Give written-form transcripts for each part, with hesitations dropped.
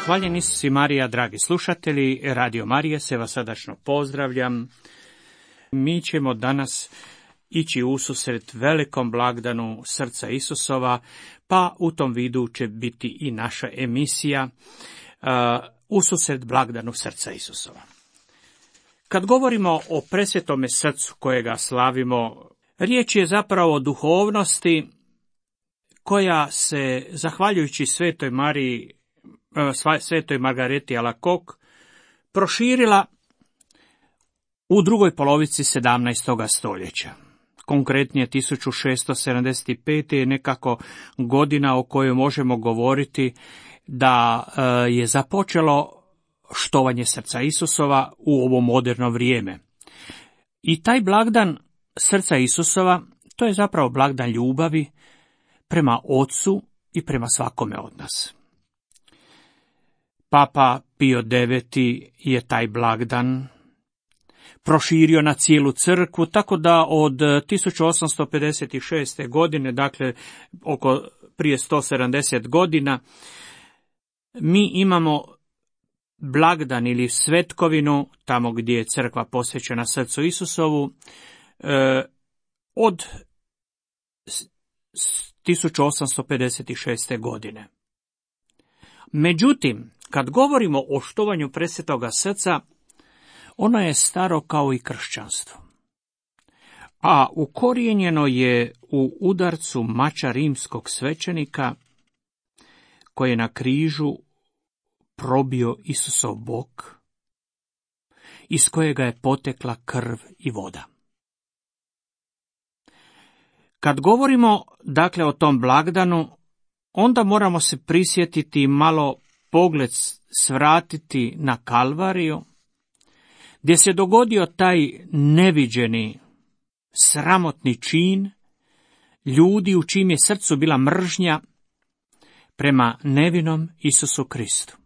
Hvaljeni Isus i Marija, dragi slušatelji, Radio Marije se vas srdačno pozdravljam. Mi ćemo danas ići ususret velikom blagdanu srca Isusova, pa u tom vidu će biti i naša emisija ususret blagdanu srca Isusova. Kad govorimo o presvetome srcu kojega slavimo, riječ je zapravo o duhovnosti koja se, zahvaljujući Svetoj Margareti Alacoque, proširila u drugoj polovici 17. stoljeća. Konkretnije 1675. je nekako godina o kojoj možemo govoriti da je započelo štovanje srca Isusova u ovo moderno vrijeme. I taj blagdan srca Isusova, to je zapravo blagdan ljubavi prema Otcu i prema svakome od nas. Papa Pio IX je taj blagdan proširio na cijelu crkvu, tako da od 1856. godine, dakle prije 170 godina, mi imamo blagdan ili svetkovinu, tamo gdje je crkva posvećena srcu Isusovu, od 1856. godine. Međutim, kad govorimo o štovanju presvetoga srca, ono je staro kao i kršćanstvo, a ukorijenjeno je u udarcu mača rimskog svećenika koji je na križu probio Isusov bok, iz kojega je potekla krv i voda. Kad govorimo, dakle, o tom blagdanu, onda moramo se prisjetiti i malo pogled svratiti na Kalvariju, gdje se dogodio taj neviđeni, sramotni čin ljudi u čijem je srcu bila mržnja prema nevinom Isusu Kristu.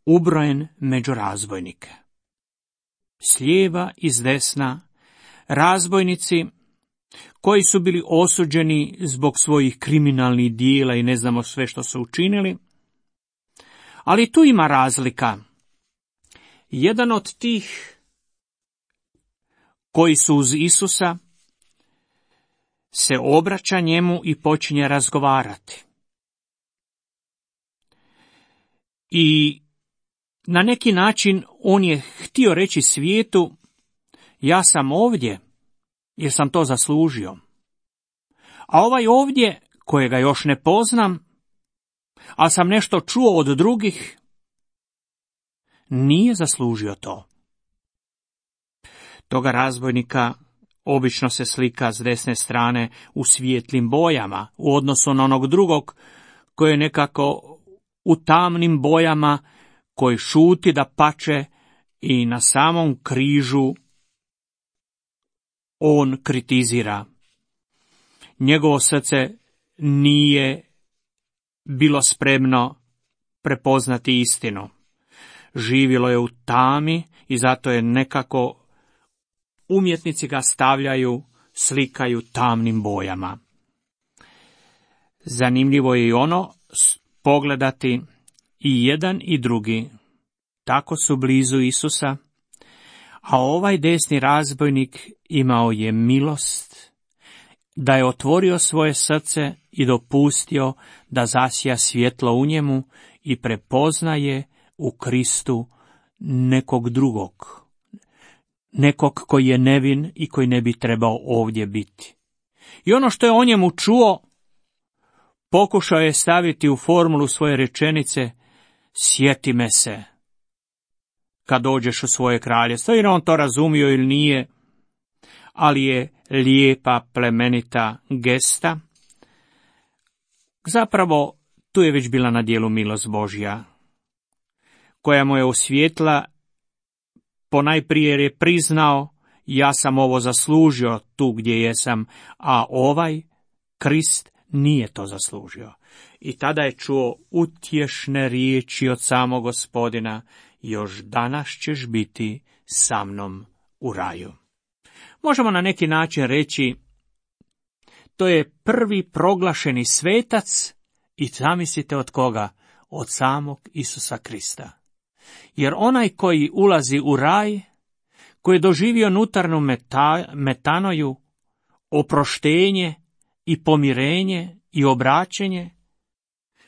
Ubrojen među razbojnike. S lijeva i s desna razbojnici koji su bili osuđeni zbog svojih kriminalnih dijela i ne znamo sve što su učinili. Ali tu ima razlika. Jedan od tih koji su uz Isusa se obraća njemu i počinje razgovarati. I na neki način on je htio reći svijetu, ja sam ovdje jer sam to zaslužio. A ovaj ovdje, kojega još ne poznam, ali sam nešto čuo od drugih, nije zaslužio to. Toga razbojnika obično se slika s desne strane u svijetlim bojama, u odnosu na onog drugog koji je nekako u tamnim bojama, koji šuti da pače i na samom križu on kritizira. Njegovo srce nije bilo spremno prepoznati istinu. Živjelo je u tami i zato je nekako umjetnici ga stavljaju, slikaju tamnim bojama. Zanimljivo je i ono pogledati i jedan i drugi. Tako su blizu Isusa, a ovaj desni razbojnik imao je milost da je otvorio svoje srce i dopustio da zasija svjetlo u njemu i prepoznaje u Kristu nekog drugog, nekog koji je nevin i koji ne bi trebao ovdje biti. I ono što je o njemu čuo, pokušao je staviti u formulu svoje rečenice, sjeti me se kad dođeš u svoje kraljevstvo, jer on to razumio ili nije, ali je lijepa, plemenita gesta. Zapravo, tu je već bila na djelu milost Božja, koja mu je osvijetla, ponajprije jer je priznao, ja sam ovo zaslužio tu gdje jesam, a ovaj Krist nije to zaslužio. I tada je čuo utješne riječi od samog Gospodina, još danas ćeš biti sa mnom u raju. Možemo na neki način reći, to je prvi proglašeni svetac i zamislite od koga? od samog Isusa Krista. Jer onaj koji ulazi u raj, koji je doživio unutarnju metanoju, oproštenje i pomirenje i obraćenje,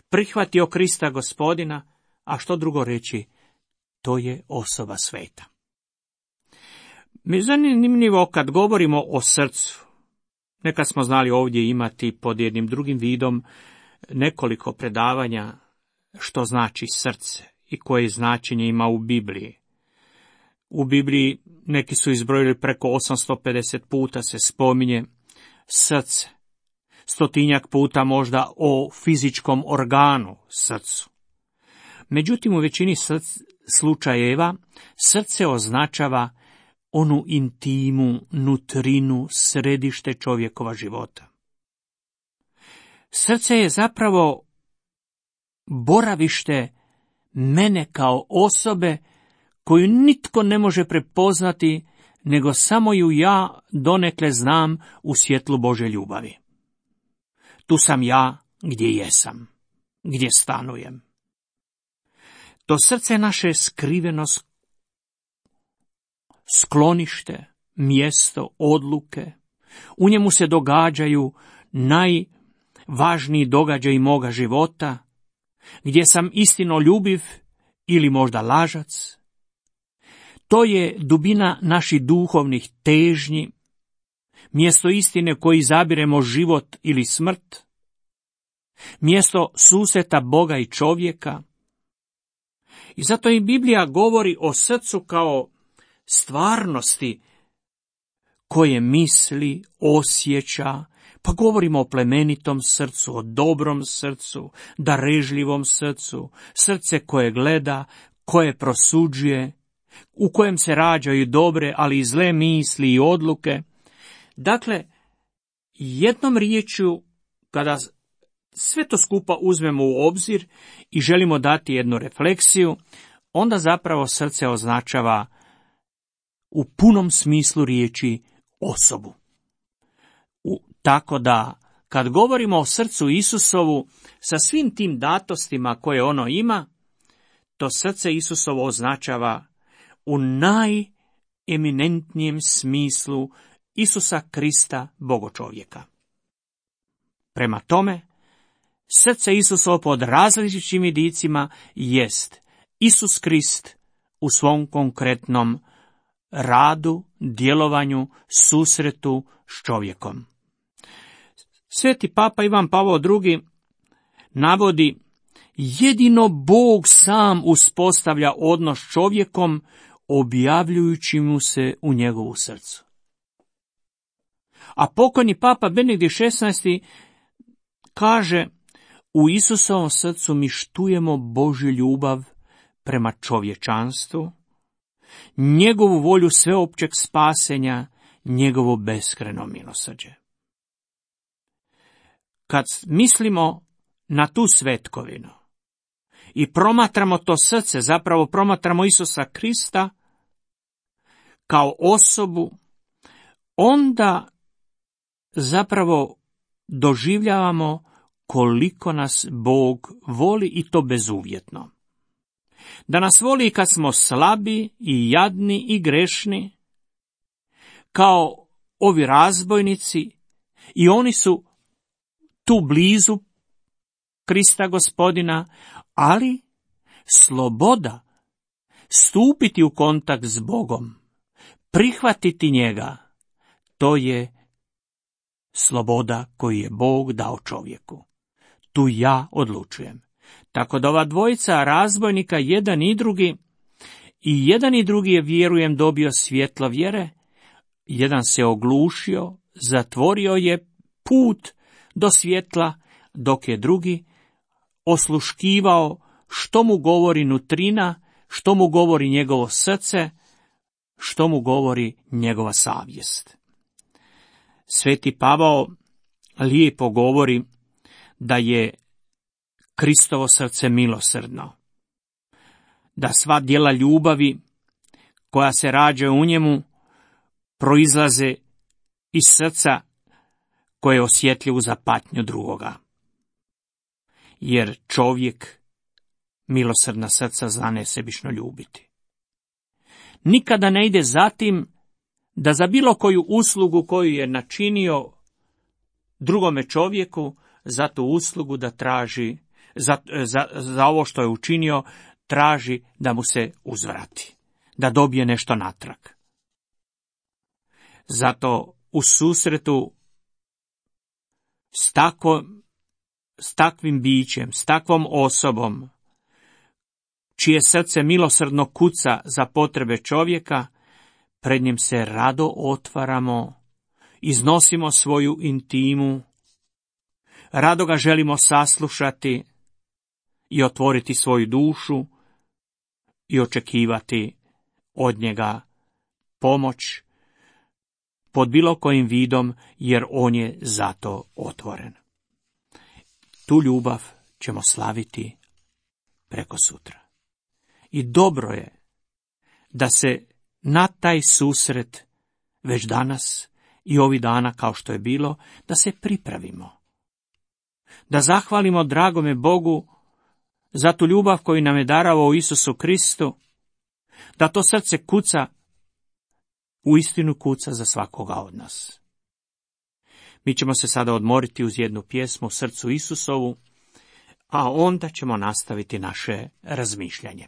prihvatio Krista Gospodina, a što drugo reći, to je osoba sveta. Mi je zanimljivo kad govorimo o srcu. Nekad smo znali ovdje imati pod jednim drugim vidom nekoliko predavanja što znači srce i koje značenje ima u Bibliji. U Bibliji neki su izbrojili preko 850 puta se spominje srce. 100 puta možda o fizičkom organu, srcu. Međutim, u većini slučajeva srce označava onu intimu, nutrinu, središte čovjekova života. Srce je zapravo boravište mene kao osobe koju nitko ne može prepoznati, nego samo ju ja donekle znam u svjetlu Božje ljubavi. Tu sam ja gdje jesam, gdje stanujem. To srce je naše skriveno sklonište, mjesto odluke. U njemu se događaju najvažniji događaji moga života, gdje sam istinoljubiv ili možda lažac. To je dubina naših duhovnih težnji, mjesto istine koji izabiremo život ili smrt, mjesto susreta Boga i čovjeka. I zato i Biblija govori o srcu kao stvarnosti koje misli, osjeća, pa govorimo o plemenitom srcu, o dobrom srcu, darežljivom srcu, srce koje gleda, koje prosuđuje, u kojem se rađaju dobre, ali i zle misli i odluke. Dakle, jednom riječju, kada sve to skupa uzmemo u obzir i želimo dati jednu refleksiju, onda zapravo srce označava u punom smislu riječi osobu. Tako da, kad govorimo o srcu Isusovu, sa svim tim datostima koje ono ima, to srce Isusovo označava u najeminentnijem smislu Isusa Krista, Bogočovjeka. Prema tome, srce Isusovo pod različitim vidicima jest Isus Krist u svom konkretnom radu, djelovanju, susretu s čovjekom. Sveti Papa Ivan Pavao II navodi, jedino Bog sam uspostavlja odnos s čovjekom, objavljujući mu se u njegovu srcu. A pokojni Papa Benedikt XVI kaže, u Isusovom srcu mi štujemo Božju ljubav prema čovječanstvu, njegovu volju sveopćeg spasenja, njegovo beskrajno milosrđe. Kad mislimo na tu svetkovinu i promatramo to srce, zapravo promatramo Isusa Krista kao osobu, onda zapravo doživljavamo koliko nas Bog voli i to bezuvjetno. Da nas voli kad smo slabi i jadni i grešni, kao ovi razbojnici, i oni su tu blizu Krista Gospodina, ali sloboda stupiti u kontakt s Bogom, prihvatiti njega, to je sloboda koju je Bog dao čovjeku. Tu ja odlučujem. Tako da ova dvojica razbojnika, jedan i drugi je, vjerujem, dobio svjetlo vjere, jedan se oglušio, zatvorio je put do svjetla, dok je drugi osluškivao što mu govori nutrina, što mu govori njegovo srce, što mu govori njegova savjest. Sveti Pavao lijepo govori da je Kristovo srce milosrdno, da sva djela ljubavi koja se rađaju u njemu proizlaze iz srca koje je osjetljivo za patnju drugoga. Jer čovjek milosrdna srca zna nesebično ljubiti. Nikada ne ide za tim da za bilo koju uslugu koju je načinio drugome čovjeku, za tu uslugu da traži, za ovo što je učinio, traži da mu se uzvrati, da dobije nešto natrag. Zato u susretu s takvim bićem, s takvom osobom, čije srce milosrdno kuca za potrebe čovjeka, pred njim se rado otvaramo, iznosimo svoju intimu, rado ga želimo saslušati i otvoriti svoju dušu i očekivati od njega pomoć pod bilo kojim vidom, jer on je zato otvoren. Tu ljubav ćemo slaviti preko sutra. I dobro je da se na taj susret već danas i ovih dana, kao što je bilo, da se pripravimo. Da zahvalimo dragome Bogu za tu ljubav koju nam je darovao u Isusu Kristu, da to srce kuca, uistinu kuca za svakoga od nas. Mi ćemo se sada odmoriti uz jednu pjesmu Srcu Isusovu, a onda ćemo nastaviti naše razmišljanje.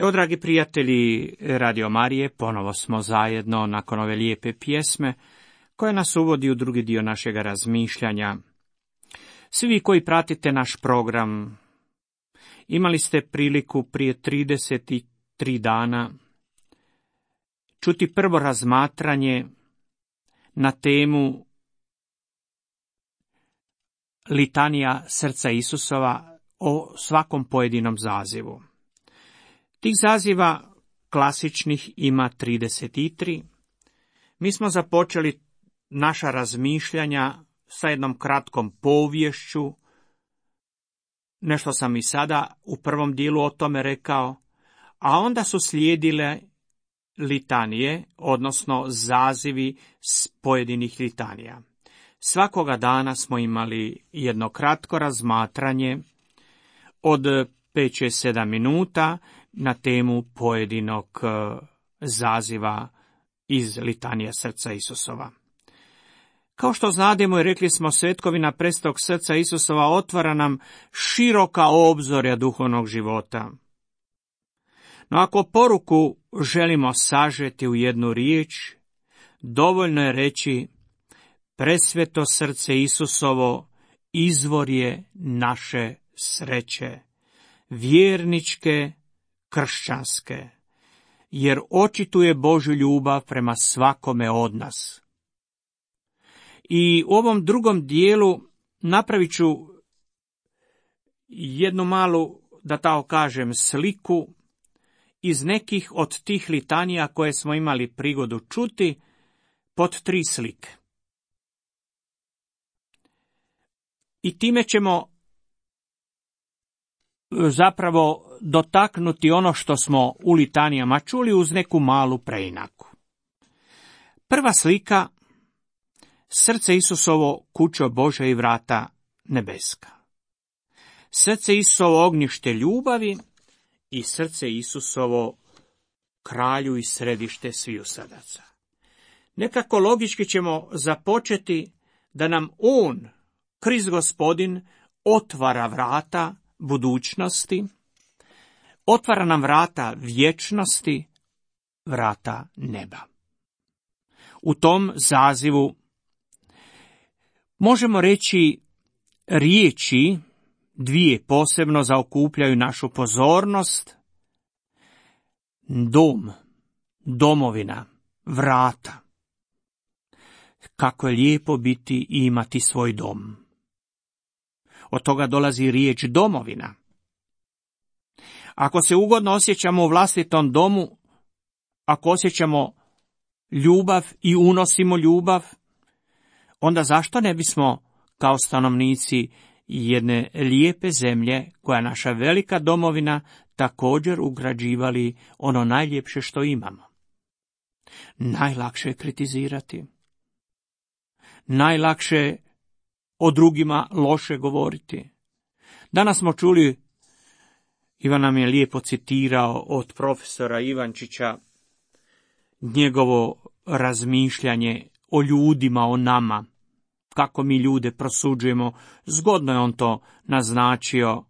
Evo, dragi prijatelji Radio Marije, ponovo smo zajedno nakon ove lijepe pjesme koja nas uvodi u drugi dio našega razmišljanja. Svi vi koji pratite naš program Imali ste priliku prije 33 dana čuti prvo razmatranje na temu litanija srca Isusova o svakom pojedinom zazivu. Tih zaziva klasičnih ima 33. Mi smo započeli naša razmišljanja sa jednom kratkom poviješću. Nešto sam i sada u prvom dijelu o tome rekao, a onda su slijedile litanije, odnosno zazivi s pojedinih litanija. Svakoga dana smo imali jedno kratko razmatranje od 5-7 minuta na temu pojedinog zaziva iz litanija srca Isusova. Kao što znademo i rekli smo, svetkovina Presvetog srca Isusova otvara nam široka obzorja duhovnog života. No ako poruku želimo sažeti u jednu riječ, dovoljno je reći: presveto srce Isusovo izvor je naše sreće, vjerničke, kršćanske, jer očituje Božju ljubav prema svakome od nas. I u ovom drugom dijelu napravit ću jednu malu, da tako kažem, sliku iz nekih od tih litanija koje smo imali prigodu čuti pod 3 slike. I time ćemo zapravo dotaknuti ono što smo u litanijama čuli uz neku malu preinaku. Prva slika: srce Isusovo, kućo Božja i vrata nebeska. Srce Isusovo, ognjište ljubavi, i srce Isusovo, kralju i središte sviju srdaca. Nekako logički ćemo započeti da nam on, Krist Gospodin, otvara vrata budućnosti, otvara nam vrata vječnosti, vrata neba. U tom zazivu možemo reći riječi, 2 posebno zaokupljaju našu pozornost: dom, domovina, vrata. Kako je lijepo biti i imati svoj dom. Od toga dolazi riječ domovina. Ako se ugodno osjećamo u vlastitom domu, ako osjećamo ljubav i unosimo ljubav, onda zašto ne bismo kao stanovnici jedne lijepe zemlje, koja je naša velika domovina, također ugrađivali ono najljepše što imamo? Najlakše je kritizirati. Najlakše je o drugima loše govoriti. Danas smo čuli, Ivan nam je lijepo citirao od profesora Ivančića, njegovo razmišljanje o ljudima, o nama, kako mi ljude prosuđujemo. Zgodno je on to naznačio.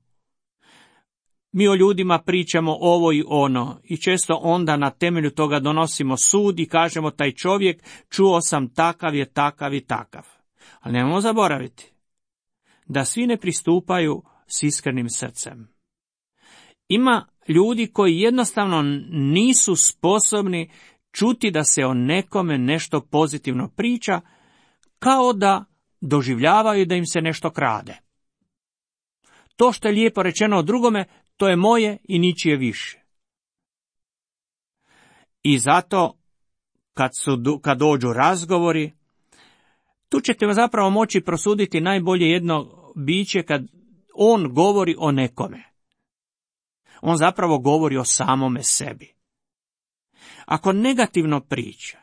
Mi o ljudima pričamo ovo i ono i često onda na temelju toga donosimo sud i kažemo: taj čovjek, čuo sam, takav je, takav i takav. Ali nemojmo zaboraviti da svi ne pristupaju s iskrenim srcem. Ima ljudi koji jednostavno nisu sposobni čuti da se o nekome nešto pozitivno priča, kao da doživljavaju da im se nešto krade. To što je lijepo rečeno o drugome, to je moje i ničije više. I zato, kad dođu razgovori, tu ćete zapravo moći prosuditi najbolje jedno biće kad on govori o nekome. On zapravo govori o samome sebi. Ako negativno priča,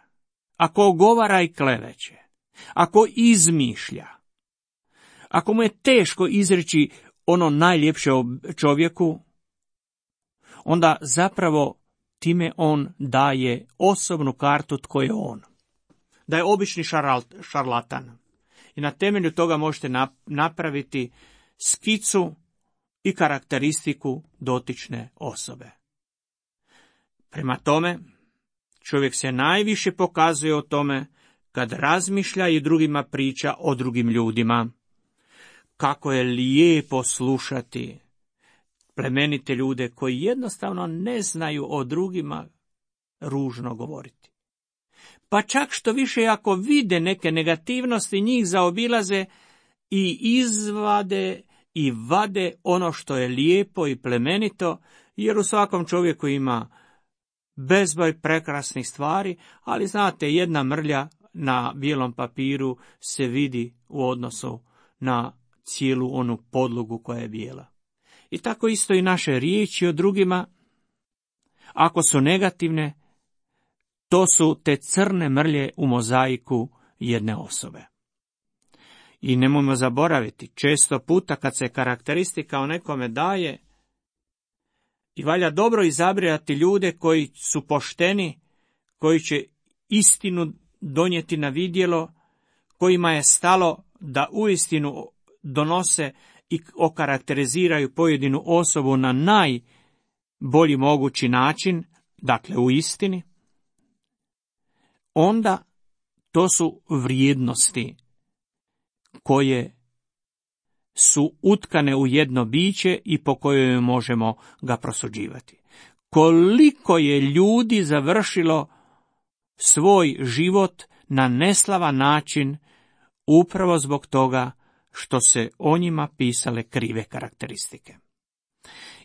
ako ogovara i kleveće, ako izmišlja, ako mu je teško izreći ono najljepše o čovjeku, onda zapravo time on daje osobnu kartu tko je on. Da je obični šarlatan. I na temelju toga možete napraviti skicu i karakteristiku dotične osobe. Prema tome, čovjek se najviše pokazuje o tome kad razmišlja i drugima priča o drugim ljudima. Kako je lijepo slušati plemenite ljude koji jednostavno ne znaju o drugima ružno govoriti. Pa čak što više ako vide neke negativnosti, njih zaobilaze i izvade i vade ono što je lijepo i plemenito, jer u svakom čovjeku ima bezbroj prekrasnih stvari, ali znate, jedna mrlja na bijelom papiru se vidi u odnosu na cijelu onu podlogu koja je bijela. I tako isto i naše riječi o drugima, ako su negativne, to su te crne mrlje u mozaiku jedne osobe. I nemojmo zaboraviti, često puta kad se karakteristika o nekome daje, i valja dobro izabrati ljude koji su pošteni, koji će istinu donijeti na vidjelo, kojima je stalo da uistinu donose i okarakteriziraju pojedinu osobu na najbolji mogući način, dakle u istini, onda to su vrijednosti koje su utkane u jedno biće i po kojoj možemo ga prosuđivati. Koliko je ljudi završilo svoj život na neslavan način upravo zbog toga što se o njima pisale krive karakteristike.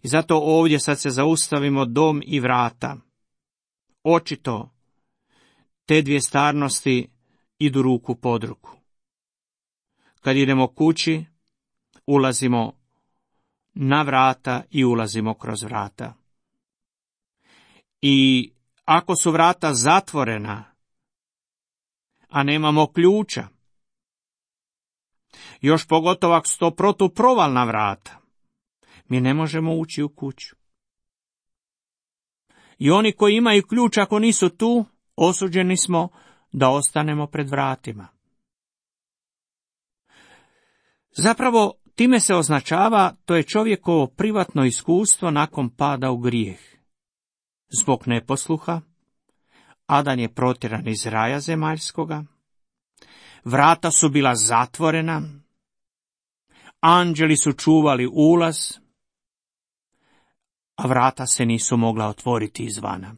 I zato ovdje sad se zaustavimo dom i vrata. Očito te dvije stvarnosti idu ruku pod ruku. Kad idemo kući, ulazimo na vrata i ulazimo kroz vrata. I ako su vrata zatvorena, a nemamo ključa, još pogotovo ako su to protuprovalna vrata, mi ne možemo ući u kuću. I oni koji imaju ključ, ako nisu tu, osuđeni smo da ostanemo pred vratima. Zapravo, time se označava, to je čovjekovo privatno iskustvo nakon pada u grijeh. Zbog neposluha, Adan je protjeran iz raja zemaljskoga, vrata su bila zatvorena, anđeli su čuvali ulaz, a vrata se nisu mogla otvoriti izvana.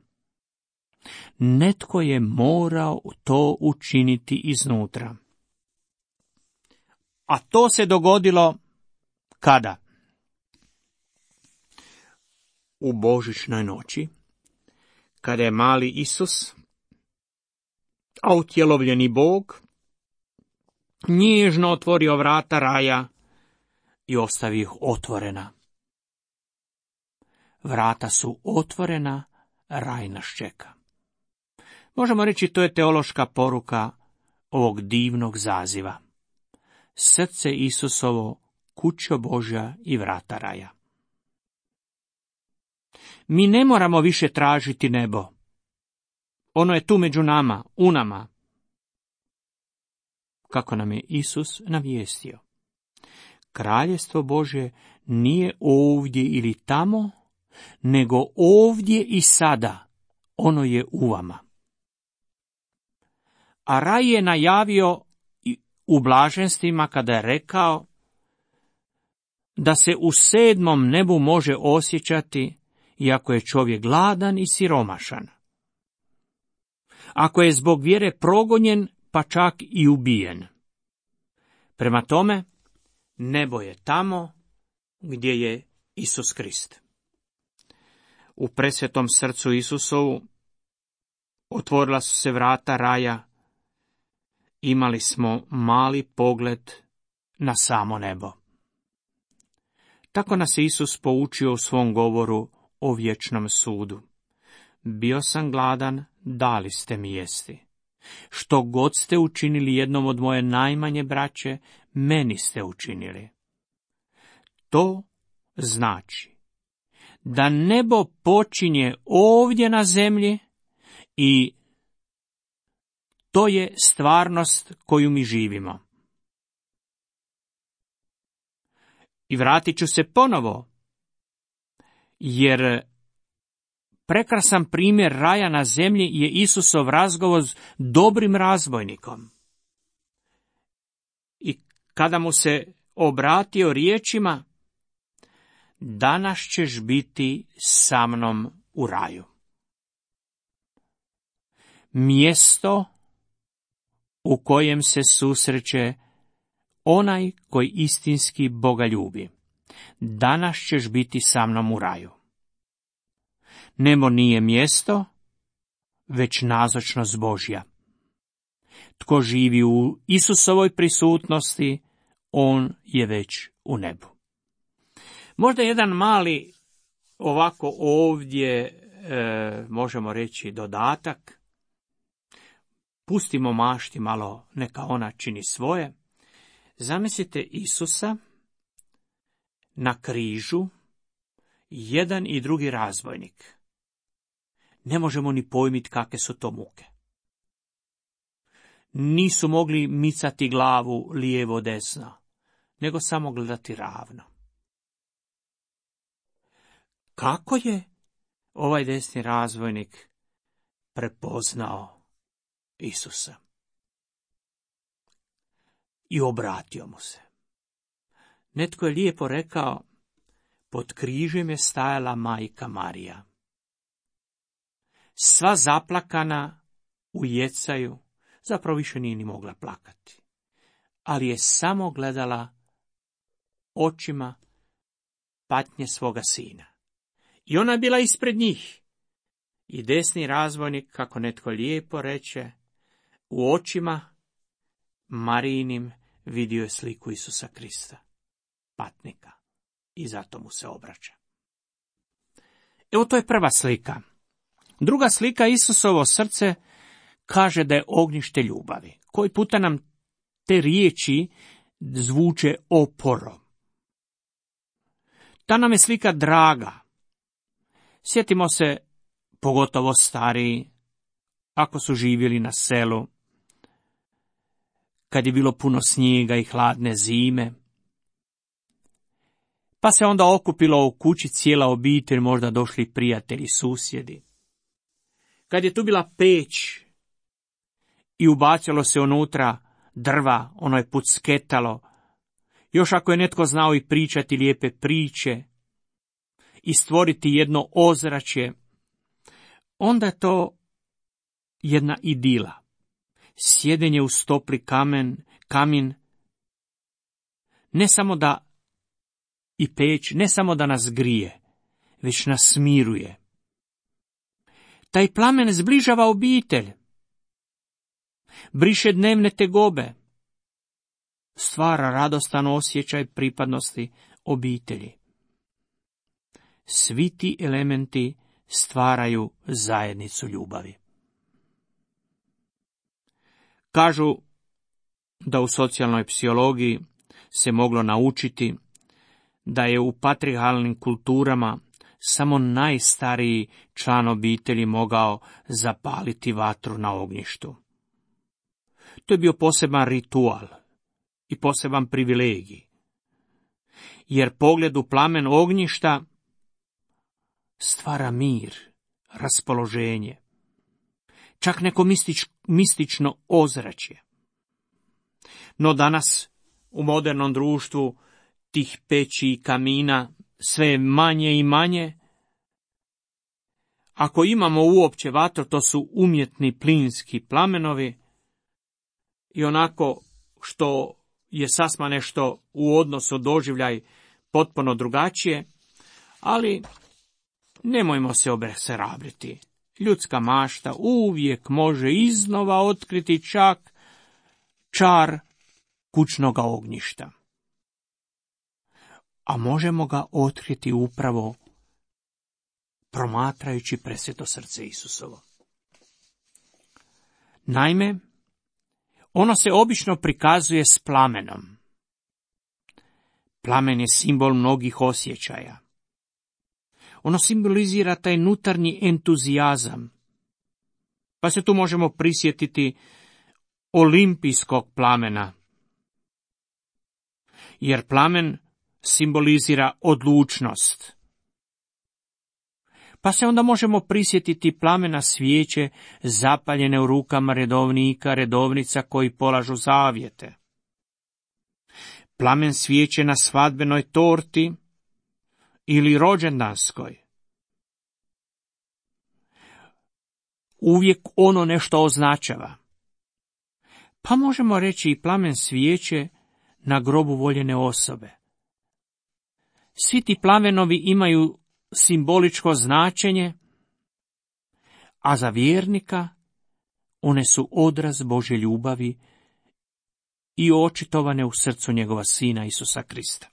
Netko je morao to učiniti iznutra. A to se dogodilo kada? U božićnoj noći, kada je mali Isus, a utjelovljeni Bog, nježno otvorio vrata raja i ostavio ih otvorena. Vrata su otvorena, raj nas čeka. Možemo reći, to je teološka poruka ovog divnog zaziva. Srce Isusovo, kućo Božja i vrata raja. Mi ne moramo više tražiti nebo. Ono je tu među nama, u nama. Kako nam je Isus navijestio. Kraljestvo Božje nije ovdje ili tamo, nego ovdje i sada. Ono je u vama. A raj je najavio u blaženstvima kada je rekao da se u 7. nebu može osjećati iako je čovjek gladan i siromašan. Ako je zbog vjere progonjen, pa čak i ubijen. Prema tome, nebo je tamo gdje je Isus Krist. U presvetom srcu Isusovu otvorila su se vrata raja. Imali smo mali pogled na samo nebo. Tako nas je Isus poučio u svom govoru o vječnom sudu. Bio sam gladan, dali ste mi jesti. Što god ste učinili jednom od moje najmanje braće, meni ste učinili. To znači da nebo počinje ovdje na zemlji i to je stvarnost koju mi živimo. I vratit ću se ponovo, jer prekrasan primjer raja na zemlji je Isusov razgovor s dobrim razbojnikom. I kada mu se obratio riječima danas ćeš biti sa mnom u raju. Mjesto u kojem se susreće onaj koji istinski Boga ljubi. Danas ćeš biti sa mnom u raju. Nebo nije mjesto, već nazočnost Božja. Tko živi u Isusovoj prisutnosti, on je već u nebu. Možda jedan mali ovako ovdje, možemo reći, dodatak. Pustimo mašti malo, neka ona čini svoje. Zamislite Isusa na križu, jedan i drugi razbojnik. Ne možemo ni pojmiti kakve su to muke. Nisu mogli micati glavu lijevo desno, nego samo gledati ravno. Kako je ovaj desni razbojnik prepoznao Isusa i obratio mu se? Netko je lijepo rekao, pod križem je stajala majka Marija. Sva zaplakana u jecaju, zapravo više nije ni mogla plakati, ali je samo gledala očima patnje svoga sina. I ona je bila ispred njih. I desni razbojnik, kako netko lijepo reče, u očima Marijinim vidio je sliku Isusa Krista, patnika, i zato mu se obraća. Evo, to je prva slika. Druga slika, Isusovo srce, kaže da je ognjište ljubavi. Koji puta nam te riječi zvuče oporo. Ta nam je slika draga. Sjetimo se, pogotovo stariji, ako su živjeli na selu, kad je bilo puno snijega i hladne zime, pa se onda okupilo u kući cijela obitelj, možda došli prijatelji, susjedi. Kad je tu bila peć i ubacilo se unutra drva, ono je pucketalo, još ako je netko znao i pričati lijepe priče i stvoriti jedno ozračje, onda je to jedna idila. Sjedenje uz topli kamin, ne samo da i peć, ne samo da nas grije, već nas smiruje. Taj plamen zbližava obitelj, briše dnevne tegobe, stvara radostan osjećaj pripadnosti obitelji. Svi ti elementi stvaraju zajednicu ljubavi. Kažu da u socijalnoj psihologiji se moglo naučiti da je u patrijarhalnim kulturama samo najstariji član obitelji mogao zapaliti vatru na ognjištu. To je bio poseban ritual i poseban privilegij, jer pogled u plamen ognjišta stvara mir, raspoloženje, čak neko mistično ozračje. No danas u modernom društvu tih peći i kamina sve je manje i manje. Ako imamo uopće vatru, to su umjetni plinski plamenovi i onako što je sasma nešto u odnosu doživljaj potpuno drugačije, ali nemojmo se obeshrabriti. Ljudska mašta uvijek može iznova otkriti čak čar kućnoga ognjišta. A možemo ga otkriti upravo promatrajući presveto srce Isusovo. Naime, ono se obično prikazuje s plamenom. Plamen je simbol mnogih osjećaja. Ono simbolizira taj unutarnji entuzijazam. Pa se tu možemo prisjetiti olimpijskog plamena. Jer plamen simbolizira odlučnost. Pa se onda možemo prisjetiti plamena svijeće zapaljene u rukama redovnika, redovnica koji polažu zavjete. Plamen svijeće na svadbenoj torti ili rođendanskoj. Uvijek ono nešto označava. Pa možemo reći i plamen svijeće na grobu voljene osobe. Svi ti plamenovi imaju simboličko značenje, a za vjernika one su odraz Božje ljubavi i očitovane u srcu njegova Sina Isusa Krista.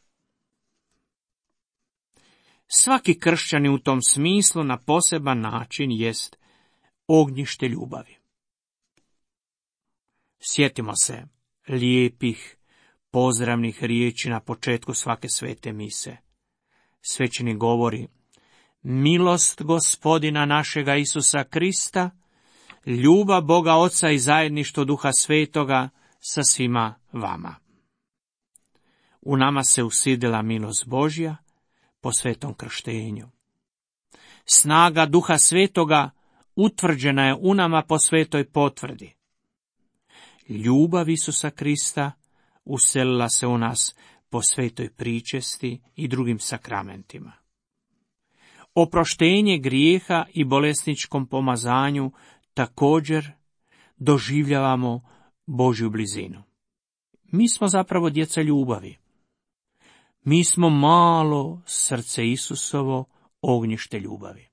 Svaki kršćanin u tom smislu na poseban način jest ognjište ljubavi. Sjetimo se lijepih, pozdravnih riječi na početku svake svete mise. Svećenik govori: milost Gospodina našega Isusa Krista, ljubav Boga Oca i zajedništvo Duha Svetoga sa svima vama. U nama se usidila milost Božja po svetom krštenju. Snaga Duha Svetoga utvrđena je u nama po svetoj potvrdi. Ljubav Isusa Krista uselila se u nas po svetoj pričesti i drugim sakramentima. Oproštenje grijeha i bolesničkom pomazanju također doživljavamo Božju blizinu. Mi smo zapravo djeca ljubavi. Mi smo malo srce Isusovo, ognjište ljubavi.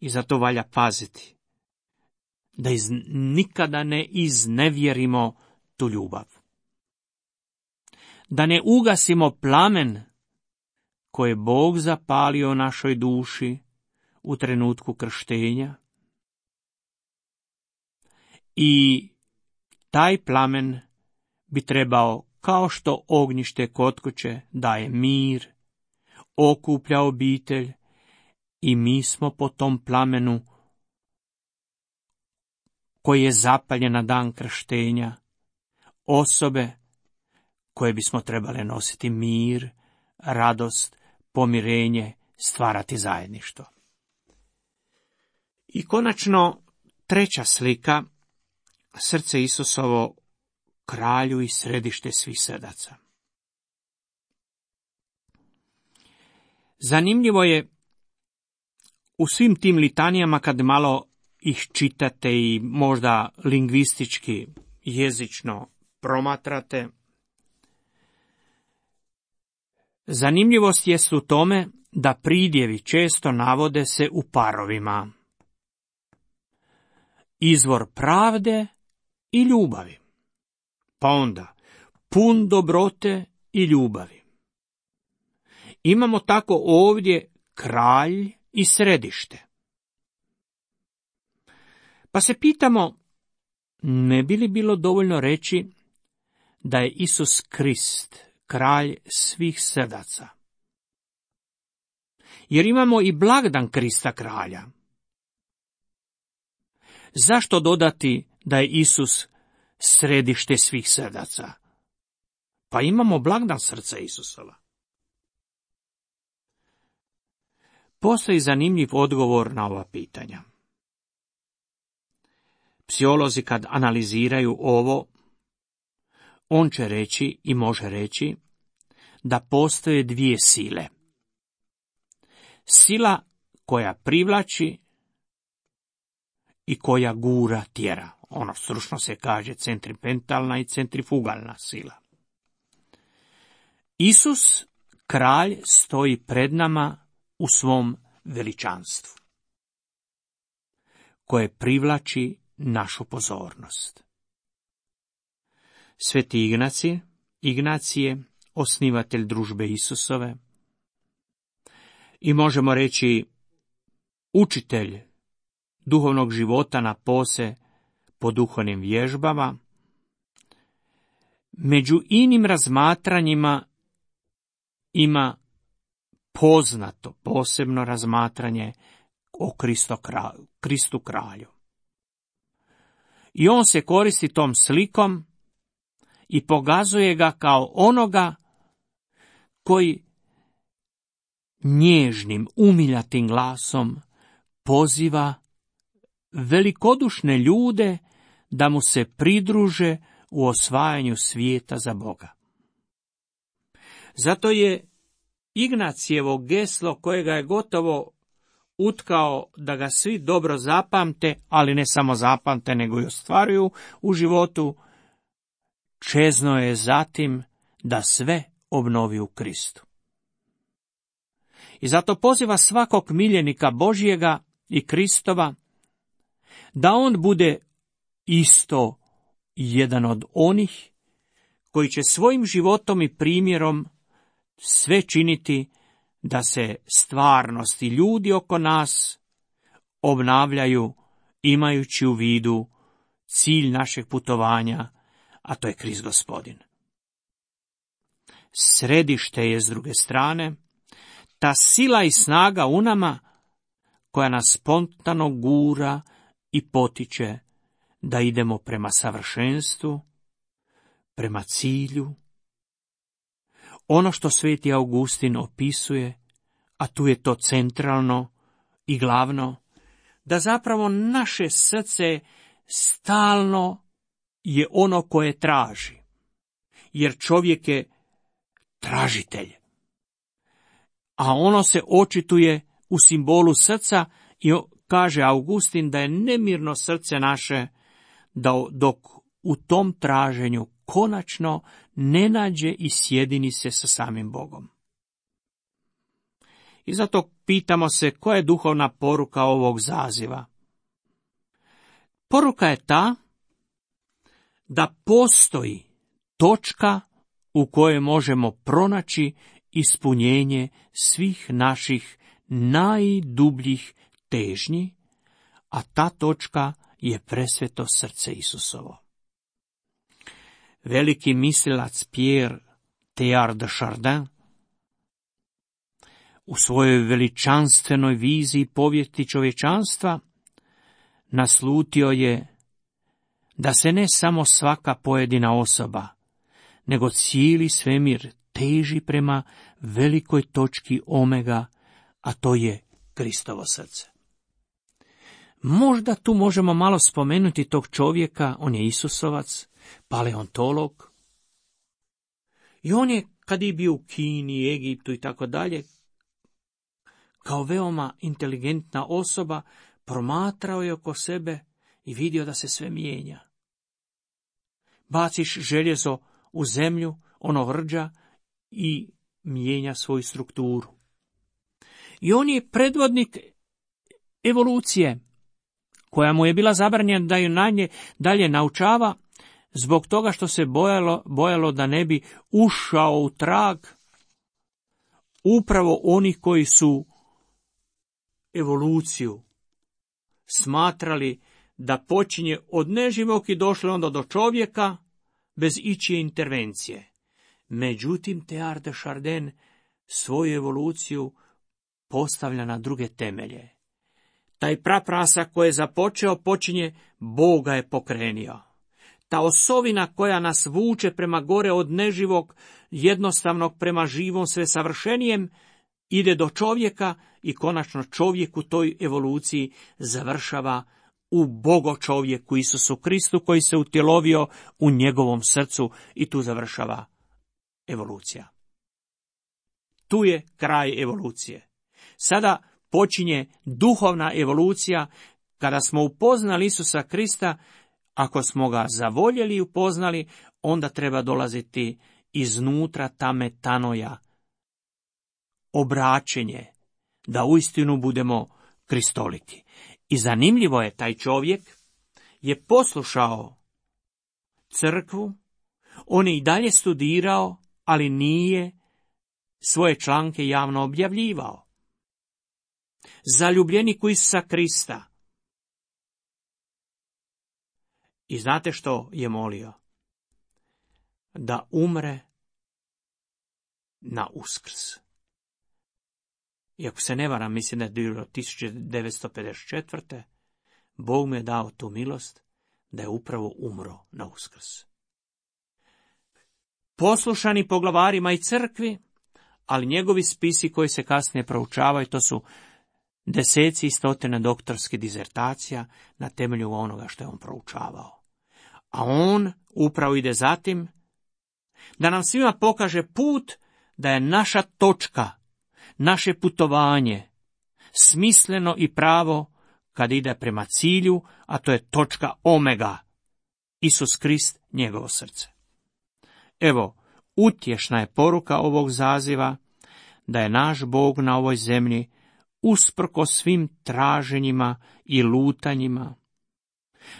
I zato valja paziti da nikada ne iznevjerimo tu ljubav. Da ne ugasimo plamen koje je Bog zapalio u našoj duši u trenutku krštenja. I taj plamen bi trebao, kao što ognjište kod kuće daje mir, okuplja obitelj, i mi smo po tom plamenu koji je zapaljen na dan krštenja, osobe koje bismo trebale nositi mir, radost, pomirenje, stvarati zajedništvo. I konačno, treća slika, srce Isusovo, kralju i središte svih srdaca. Zanimljivo je u svim tim litanijama, kad malo ih čitate i možda lingvistički, jezično promatrate, zanimljivost jest u tome da pridjevi često navode se u parovima. Izvor pravde i ljubavi. Pa onda, pun dobrote i ljubavi. Imamo tako ovdje kralj i središte. Pa se pitamo, ne bi li bilo dovoljno reći da je Isus Krist kralj svih srdaca? Jer imamo i blagdan Krista kralja. Zašto dodati da je Isus središte svih srdaca? Pa imamo blagdan srca Isusova. Postoji zanimljiv odgovor na ova pitanja. Psiholozi kad analiziraju ovo, on će reći i može reći da postoje dvije sile. Sila koja privlači i koja gura, tjera. Ono stručno se kaže centripetalna i centrifugalna sila. Isus, kralj, stoji pred nama u svom veličanstvu, koje privlači našu pozornost. Sveti Ignacije, osnivatelj družbe Isusove, i možemo reći učitelj duhovnog života na pose po duhovnim vježbama, među inim razmatranjima ima poznato, posebno razmatranje o Kristu kralju. I on se koristi tom slikom i pokazuje ga kao onoga koji nježnim, umiljatim glasom poziva velikodušne ljude da mu se pridruže u osvajanju svijeta za Boga. Zato je Ignacijevo geslo kojega je gotovo utkao da ga svi dobro zapamte, ali ne samo zapamte, nego i ostvaruju u životu, čezno je zatim da sve obnovi u Kristu. I zato poziva svakog miljenika Božjega i Kristova da on bude isto jedan od onih koji će svojim životom i primjerom sve činiti da se stvarnost i ljudi oko nas obnavljaju imajući u vidu cilj našeg putovanja, a to je Krist Gospodin. Središte je s druge strane ta sila i snaga u nama koja nas spontano gura i potiče da idemo prema savršenstvu, prema cilju. Ono što sveti Augustin opisuje, a tu je to centralno i glavno, da zapravo naše srce stalno je ono koje traži, jer čovjek je tražitelj. A ono se očituje u simbolu srca i kaže Augustin da je nemirno srce naše dok u tom traženju konačno ne nađe i sjedini se sa samim Bogom. I zato pitamo se koja je duhovna poruka ovog zaziva. Poruka je ta da postoji točka u kojoj možemo pronaći ispunjenje svih naših najdubljih težnji, a ta točka je presveto srce Isusovo. Veliki mislilac Pierre Teilhard de Chardin u svojoj veličanstvenoj viziji povijesti čovječanstva naslutio je da se ne samo svaka pojedina osoba, nego cijeli svemir teži prema velikoj točki omega, a to je Kristovo srce. Možda tu možemo malo spomenuti tog čovjeka, on je Isusovac, paleontolog. I on je, kad je bio u Kini, Egiptu i tako dalje, kao veoma inteligentna osoba, promatrao je oko sebe i vidio da se sve mijenja. Baciš željezo u zemlju, ono rđa i mijenja svoju strukturu. I on je predvodnik evolucije, koja mu je bila zabranjena da ju dalje naučava, zbog toga što se bojalo da ne bi ušao u trag upravo onih koji su evoluciju smatrali da počinje od neživog i došlo onda do čovjeka bez ičije intervencije. Međutim, Teilhard de Chardin svoju evoluciju postavlja na druge temelje. Taj praprasak koji je započeo počinje, Bog ga je pokrenio. Ta osovina koja nas vuče prema gore od neživog, jednostavnog prema živom, sve savršenijem, ide do čovjeka i konačno čovjek u toj evoluciji završava u Bogo čovjeku Isusu Kristu koji se utjelovio u njegovom srcu i tu završava evolucija. Tu je kraj evolucije. Sada počinje duhovna evolucija kada smo upoznali Isusa Krista. Ako smo ga zavoljeli i upoznali, onda treba dolaziti iznutra ta metanoja, obraćenje, da uistinu budemo kristoliki. I zanimljivo je, taj čovjek je poslušao crkvu, on je i dalje studirao, ali nije svoje članke javno objavljivao. Zaljubljenik u Isusa Krista. I znate što je molio? Da umre na Uskrs. I ako se ne varam, mislim da je bilo 1954. Bog mu je dao tu milost da je upravo umro na Uskrs. Poslušani poglavarima i crkvi, ali njegovi spisi koji se kasnije proučavaju, to su deseci i stotine doktorskih dizertacija na temelju onoga što je on proučavao. A on upravo ide zatim da nam svima pokaže put da je naša točka naše putovanje smisleno i pravo kad ide prema cilju, a to je točka omega, Isus Krist, njegovo srce. Evo, utješna je poruka ovog zaziva, da je naš Bog na ovoj zemlji usprkos svim traženjima i lutanjima,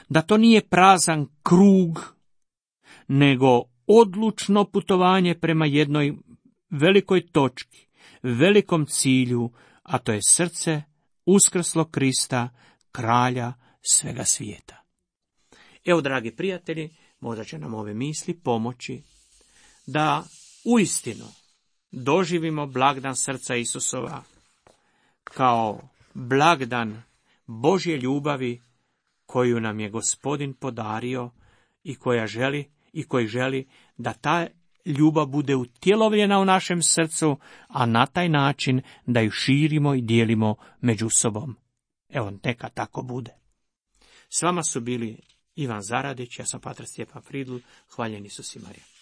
da to nije prazan krug, nego odlučno putovanje prema jednoj velikoj točki, velikom cilju, a to je srce uskrslog Krista, kralja svega svijeta. Evo, dragi prijatelji, možda će nam ove misli pomoći da uistinu doživimo blagdan srca Isusova kao blagdan Božje ljubavi koju nam je Gospodin podario i koji želi da ta ljubav bude utjelovljena u našem srcu, a na taj način da ju širimo i dijelimo među sobom. Evo, neka tako bude. S vama su bili Ivan Zaradić, ja sam pater Stjepan Fridl, hvaljen Isus i Marija.